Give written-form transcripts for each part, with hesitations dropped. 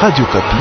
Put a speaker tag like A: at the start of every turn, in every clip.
A: Radio Okapi.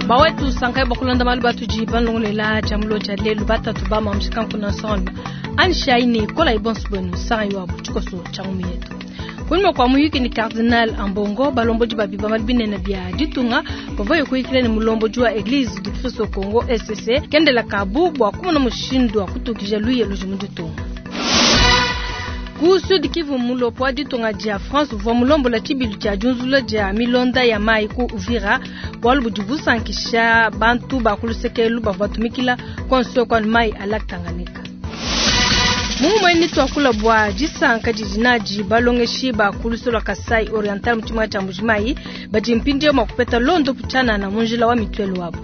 B: Bawetu sankai bakulonda malu batudi balongolela tshia mulo tshia lelu batatu ba mamushika nkuna nsonga anishayi kola ibonso bwenu sangai wabu tshikoso tshia ngumi yetu. Kunyima kua muyuki ni Cardinal Ambongo balombodi ba bibambalu binene bia ditunga bavua kuyikila ne mulombodi wa Eglise du Christ au Congo ECC kendela kabu bua kumona mushindu wa kutukija luye ludi mu ditunga. Ku Sud Kivu mulopo wa ditunga dia France uvua mulombola tshibilu tshia diunzula dia milonda ya mayi ku Uvira bualu budi busankisha bantu ba ku lusekelu bavua batumikila konso kwa mayi a lac Tanganyika. Mumue tuakula bua disanka didi nadi balongeshi ba ku luseke lua Kasai Oriental mu tshimenga tshia Mbuji-Mayi badi mpindieu mua kupeta londo tshianana mu njila wa mituelu wabu.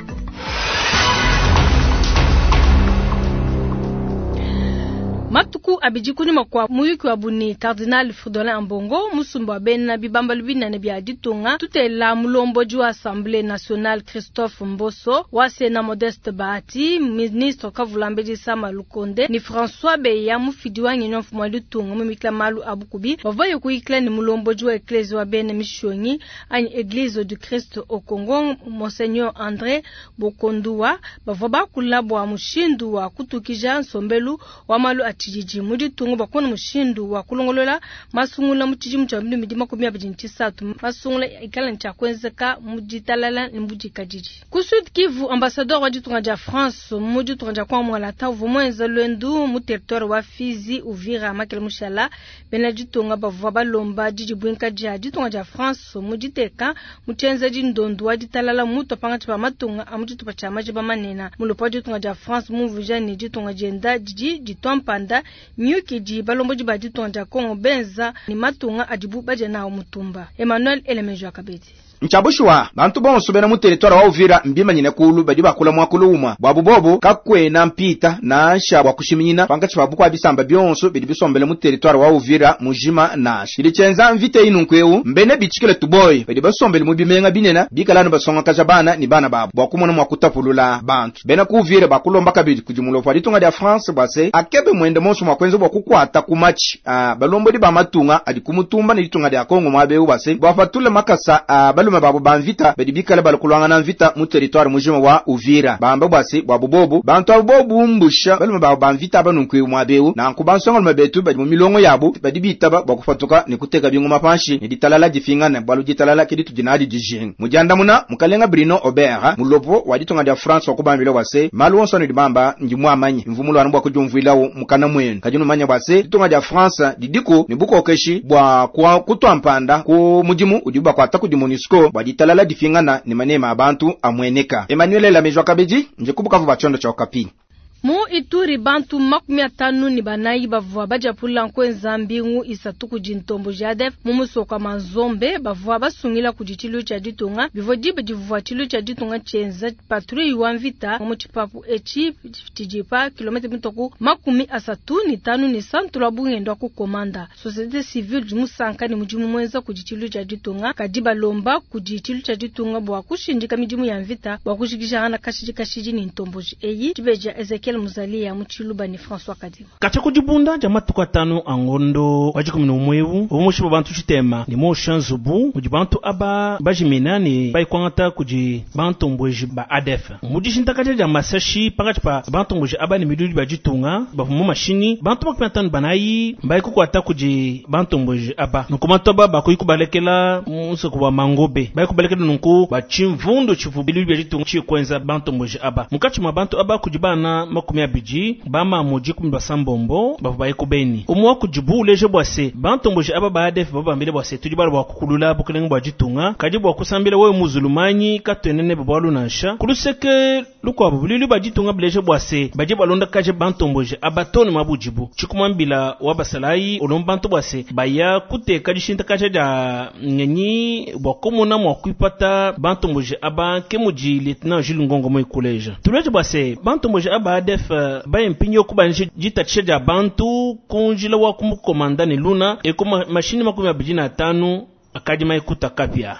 B: Matuku abidi kunyima kua muyuki wabu ne Cardinal Fridolin Ambongo musumba wa bena bibambalu binene bia ditunga tutela mulombodi wa Assemblée nationale Christophe Mboso wa Sénat Modeste Bahati ministre Kavulambedi Sama Lukonde ni François Beya mufidi wa ngenyi wa mfumu wa ditunga mumikila malu a bukubi bavua kuyikila ne mulombodi wa Eklezia wa bena mishonyi anyi Eglise du Christ au Congo Monseigneur André Bokonduwa bavua bakula bua mushindu wa kutukija nsombelu wa malu a tshididi mu ditunga bakona mushindu wa kulongolola masungula mu tshidimu tshia 2023 masungula ikala ne tshia kuenzeka mu ditalala ne mu dikadidi. Ku Sud Kivu ambassadeur wa ditunga dia France mu ditunga dia Kongo Mwalata uvua muenza luendu mu territoire wa Fizi Uvira Makele Mushala bena ditunga bavua balomba didibuinka dia ditunga dia France mu diteka mu tshienzedi ndondu wa ditalala mutu pangatshi pa matunga a mu tshitupa tshia majiba manene mulopo wa ditunga dia France mumvuija ne ditunga dienda didi ditua mpanda miyuki idi balombodi ba ditunga dia Kongo benza ne matunga adibu badia nawo mutumba. Emmanuel Elemejo Akabedi.
C: Nchabushuwa bantu bonso bena mu territoire wa Uvira mbimanyine kulu badi bakula mwakulu umwa bwabu bobo kakwena mpita nansha bwa kushiminyina pangatshi pa bukwa bisamba byonso bidi bisombele mu territoire wa Uvira mujima nansha ili chenza mvite inu nkweu mbene bichikile tuboyi badi basombele mu bimenga binena bikalanu basongakaja bana ni bana babo bwa kumona mwa kutapulula bantu bena ku Uvira bakulomba kabidi kudimulo pa ditunga dia France bwase akebe mwende monso mwa kwenza bwa kukwata kumachi balombodi ba matunga adi kumutumba ne ditunga dia Kongo mwabeu bwase bwapatule makasa balume babo ba mvita badi bikale balakulwangana na mvita mu territoire mujima wa Uvira bamba bwase bwa bubobu bantu abo bobumbusha balume babo ba mvita abanunkwe mwabeu nanku bansonga betu badi mu milongo yabo badi bitaba bwa kufatuka ne kuteka bingoma panshi ne ditalala difingana bwalu ditalala kidi tudinadi dijinga mujandamuna mukalenga Bruno Aubert mulopo wa ditunga dia France wakubambila bwase malu onso ne dibamba ndi mwamanye mvumulwana bwa kujumvuilawo mukana mwenu kajinu manya bwase ditunga dia France didiko ne bukokeshi bwa kwa kutwampanda ku mudimu udi bakwata kudi MONUSCO bwa ditalala difingana ne manema abantu amweneka. Emmanuel Lamejwa Kabedi nje kubukavu bachondo cha Okapi.
B: Mu Ituri bantu 54 bavua bajapula nkwenza mbingu isatu kudi ntombo jadef mu musoko wa Manzombe bavua basungila kudi tshilu tshia ditunga bivua diba divua tshilu tshia ditunga tshienza patrouille wa mvita mu tshipapu etshi tshidi pa kilomètre mitoku 35 ne santu lwa bungendo wa kukomanda. Société civile di musanka ne mudimu mwenza kudi tshilu tshia ditunga kadi balomba kudi tshilu tshia ditunga bua kushindika midimu ya mvita bua kujikijana kashidi kashidi ne ntombo eyi dibeja Ezekiel Muzali ya Muchiluba ni François Kadima.
D: Kacha kujibunda ja matuku atanu angondo wajikumi n'umwewu omushiba bantu chitema ni mo shanzubu mudi bantu aba bajimina ni baikwangata kudi bantu mbweji ba ADF. Mudi shintakaja ja masashi pakati pa bantu mbweji aba ni midudi ba jitunga ba mu mashini bantu 54 baikukwata kudi bantu mbweji aba. Nuku bantu aba bakuikubalekela musoko wa mangobe baikubalekela nunku ba chimvundu chivu biludi ba jitunga chikwenza bantu mbweji aba. Mukachi mwa bantu aba kudi bana 20 bama muji 16 bavu baikubeni. Umwa kujibu uleje bwase bantu mbweji aba ba ADF babambile bwase tudi bala bwa kukulula bukelenge bwa jitunga kadi bwa kusambila wewe muzulumanyi katwenene bwalu nansha kuluseke lukwabo bulili ba jitunga bileje bwase baje balonda kaje bantu mbweji abatoni mabujibu chikumambila wabasalai olombantu bwase baya kuteka dishinta kaje ja ngenyi bwa komona mwa kuipata bantu mbweji aba kemuji lieutenant Jules Ngongo mo ikuleja tuleje bwase bantu mbweji aba ADF baye mpinyo kubanishe jitatisha ja bantu kunjila wa kumukomanda ni luna eko mashini 25 akadi maikuta kapya.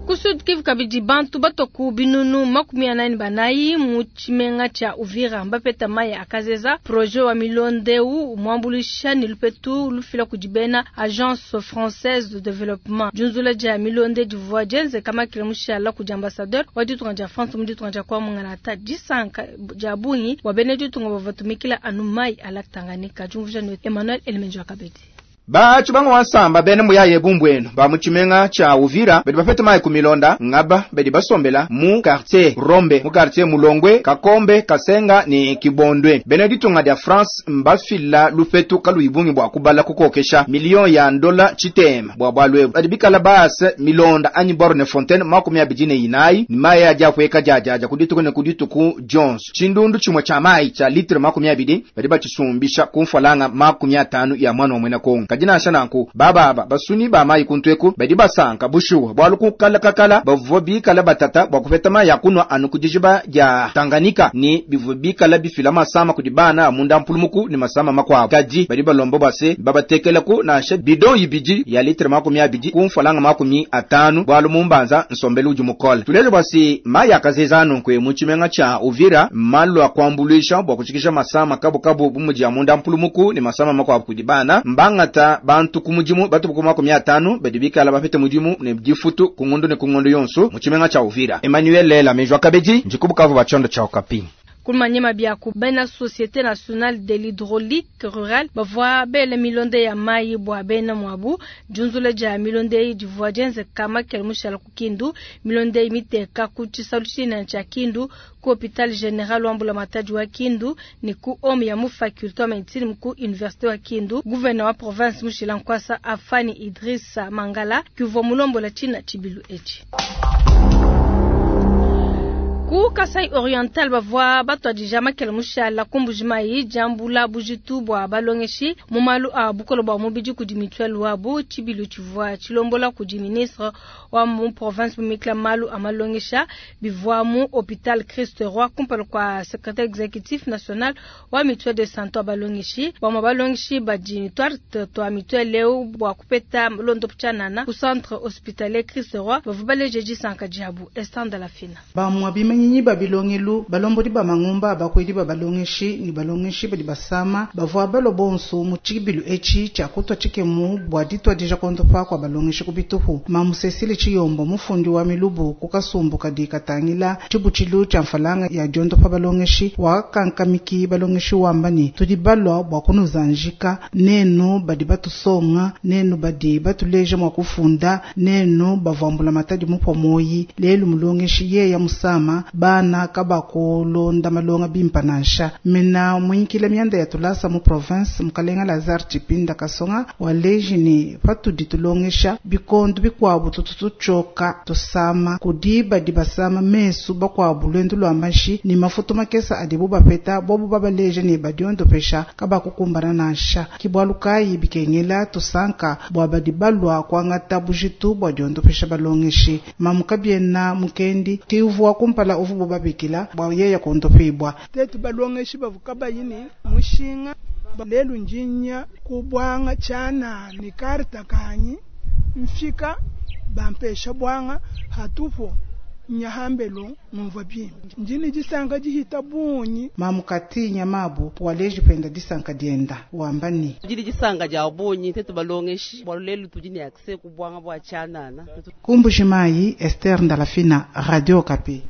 B: Ku Sud Kivu kabidi bantu batua ku binunu 44 mu tshimenga tshia Uvira mbapeta mayi a kazeza. Projet wa milonda eu muambuluisha ne lupetu lufila kudi bena Agence Française de Développement. Diunzula dia milonda divua dienzeka makila mushala kudi ambassadeur wa ditunga dia France mu ditunga dia kwa Mungalata. Disanka dia bungi bua bena ditunga bavua batumikila anu mayi a lac Tanganyika. Diumvuija ne Emmanuel Elemenjo Kabedi.
C: Batshi bamwe wansamba bene muyaye bumbwenu ba mu tshimenga tshia Uvira badi bapeta mayi ku milonda ngaba badi basombela mu quartier Rombe, mu quartier Mulongwe, Kakombe, Kasenga ne Kibondwe. Bene ditunga dia France mbafila lupetu kaluyi bungi bua kubala kukokesha million ya ndola tshitema bua bualu ebu. Badi bikala baase milonda anyi borne fontaine 24 ni mayi adi apueka diadiadia ku dituku ne ku dituku dionso. Tshindundu tshimue tshia mayi tshia litre 20 badi batshisumbisha ku mfalanga 50 ya mwana wa mwena Kongo. Kadi nansha nanku bababa basuni ba mayi kuntweku badi basanka bushuwa bualu kukalakakala bavua bikala batata bua kupeta mayi ya kunwa anu ku dijiba dia Tanganyika ni bivua bikala bifila masama kudi bana munda mpulumuku ni masama makuabu. Kadi badi balomba bua se babatekelaku nansha bidon ibidi ya litre 20 ku mfalanga 50 bualu mumbanza nsombelu udi mukole. Tuleje bua se mayi akazeza nunkwe mu tshimenga tshia Uvira malu akuambuluisha bua kushikisha masama kabukabu bu mudi ya munda mpulumuku ni masama makuabu kudi bana. Mbangata bantu ku mudimu batu ku 50 badi bikala bapete mudimu ne difutu ku ngondo ne ku ngondo yonso mu tshimenga tshia Uvira. Emmanuel Lela Mejwa Kabedi ndikubukavu ba tshiondo tshia Okapi.
B: Kumanyema bia ku bena Société Nationale de l'Hydraulique Rurale bavua bele milonda ya mayi bua bena mwabu. Diunzula dia milonda eyi divua dienzeka makele mushala ku Kindu. Milonda eyi miteka ku tshisalu tshinene tshia Kindu, ku Hôpital Général wa Mbulamatadi wa Kindu ne ku home ya mu faculté wa médecine ku Université wa Kindu. Gouverneur wa province Mushila Nkwasa Afani Idrissa Mangala kuvua mulombola tshina tshibilu etshi. Ku Kasai Oriental bavua batuadija makele mushala ku Mbujimayi diambula bujitu bua balongeshi mu malu a bukole bua mubidi kudi mutuelle wabu. Tshibilu tshivua tshilombola kudi ministre wa mu province mumikila malu a malongesha bivua mu hôpital Christ Roi kumpala kua secrétaire exécutif national wa mutuelle de santé wa balongeshi. Bamue balongeshi badi twarte twa mutuelle eu bua kupeta londo tshianana ku centre hospitalier Christ Roi bavua baleje disanka diabu. Esther de la Fina.
A: Bamue bimanyinyi ba bilongelu balombodi ba mangumba abakwedi ba balongeshi ni balongeshi badi basama bavua balua bonso mu tshibilu etshi tshia kutua tshikemu bua dituadija kondopa kua balongeshi ku bitupu. Mamu Cecile Tshiyombo mufundi wa milubu ku kasumbu kadi katangila tshibutshilu tshia mfalanga ya diondopa balongeshi wakankamiki balongeshi wamba ni tudi balua bua kunuzanjika nenu badi batusonga nenu badi batuleja mua kufunda nenu bavuambula matadi mupua moyi lelu mulongeshi yeya musama bana kabakulonda malonga bimpa nansha. Mena muinkila mianda ya tulasa mu province mukalenga Lazare Tshipinda Kasonga waleji ni patudi tulongesha bikondu bikuabu tutu tuchoka tusama kudi badi basama mesu bakuabu lwendu lwa mashi ni mafutu makesa adibu bapeta bobu babaleje ni badiondopesha kabakukumbana nansha. Kibwalu kayi bikengela tusanka bua badi balua kuangata bujitu bua diondopesha balongeshi. Mamu kabiena mukendi tiuvua kumpala uvu babikila bua yeya kondopibwa.
E: Tetu balongeshi bavuka bayini mushinga lelu njinya kubwanga chana ni karta kanyi mfika bampesha bwanga hatupo nyahambelo mumva bimbi njini disanka dihita bunyi.
A: Mamukati nyamabu waleji penda disanka dienda wambani
F: jili disanga dia bunyi tetu balongeshi bwa lelu tudi ne accès ku bwanga bwa chanana.
A: Kumbujimayi Esther Ndalafina, Radio Okapi.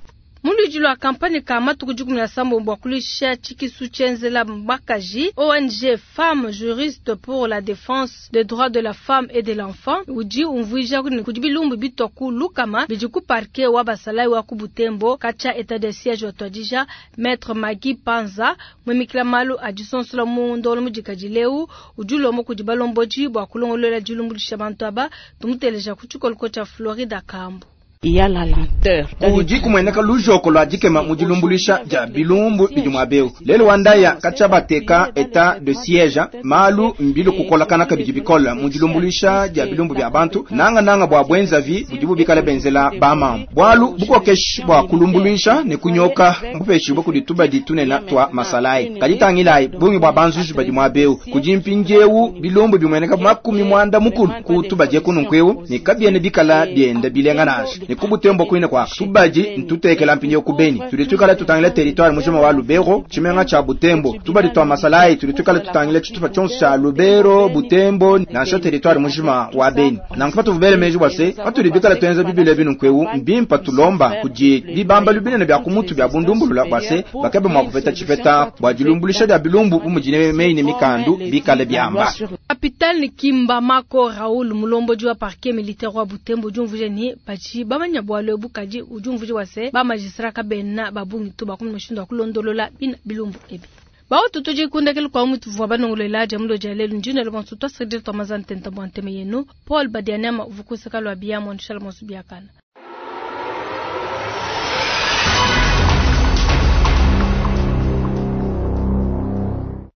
B: Muludi lwa kampanye ka matuku 17 bua kulisha tshikisu tshenzela bakaji ONG Femmes Juristes pour la défense des droits de la femme et de l'enfant udi umvuija kudi bilumbu bitwa ku lukama bidi ku parquet wa basalai wa ku Butembo kacha état de siège wa twadija Maître Magui Panza mwimikila malu adisonsola mu ndolo mudikadi leu udi ulomba kudi balomboji bua kulongolola dilumbulisha bantu aba tumuteleja ku tshikoloko tshia Florida Kambu.
G: Il y a la lenteur.
C: Udi kumweneka lujoko lwa dikema mu dilumbulisha dia bilumbu bidi mwabeu. Lelo wandaya kachabateka état de siège malu mbilu kukolakana kabidi bikola mu dilumbulisha dia bilumbu bya bantu nanga nanga bwa bwenzavi budibu bikala benzela bamama. Bwalu bukokeshi bwa kulumbulisha ne kunyoka mbupeshi bwa kudituba ditunena twa masalai. Kaditangilai bungi bwa banzuzu badi mwabeu. Kujimpinjewu bilumbu bimweneka 90 mukulu kutuba je kununkweu ne kabiene bikala bienda bilenga nasha. ne ku Butembo kuine kwa tubadi ntutekela mpindieu ku Beni. Tudi tuikala tutangila territoire mujima wa Lubero, tshimenga tshia Butembo. Tubadi twa masalayi tudi tuikala tutangila tshitupa tshionso tshia Lubero, Butembo nansha territoire mujima wa Beni. Nanku patuvua bele meji bua se patudi bikala tuenza bibilu ebi nunkuewu mbimpa tulomba kudi bibambalu binene bia ku mutu bia bundumbulula bua se bakebe mua kupeta tshipeta bua dilumbuluisha dia bilumbu bu mudi meyi ne mikandu bikale biamba.
B: Capitaine Kimba Mako Raoul mulombodi wa parquet militaire wa Butembo udi umvuija ne badi bamanya bualu ebu kadi udi umvuija bua se ba magistrat kabena ba bungi to bakumona mushindu wa kulondolola bina bilumbu ebi. Baotu tudi kundekelu kwa mutu vua banongolola dia mulo dia lelu ndine le bonso twasakidila twamaza ntenta bua nteme yenu Paul Badianema uvukusaka lwa biya mondishala monso biakana.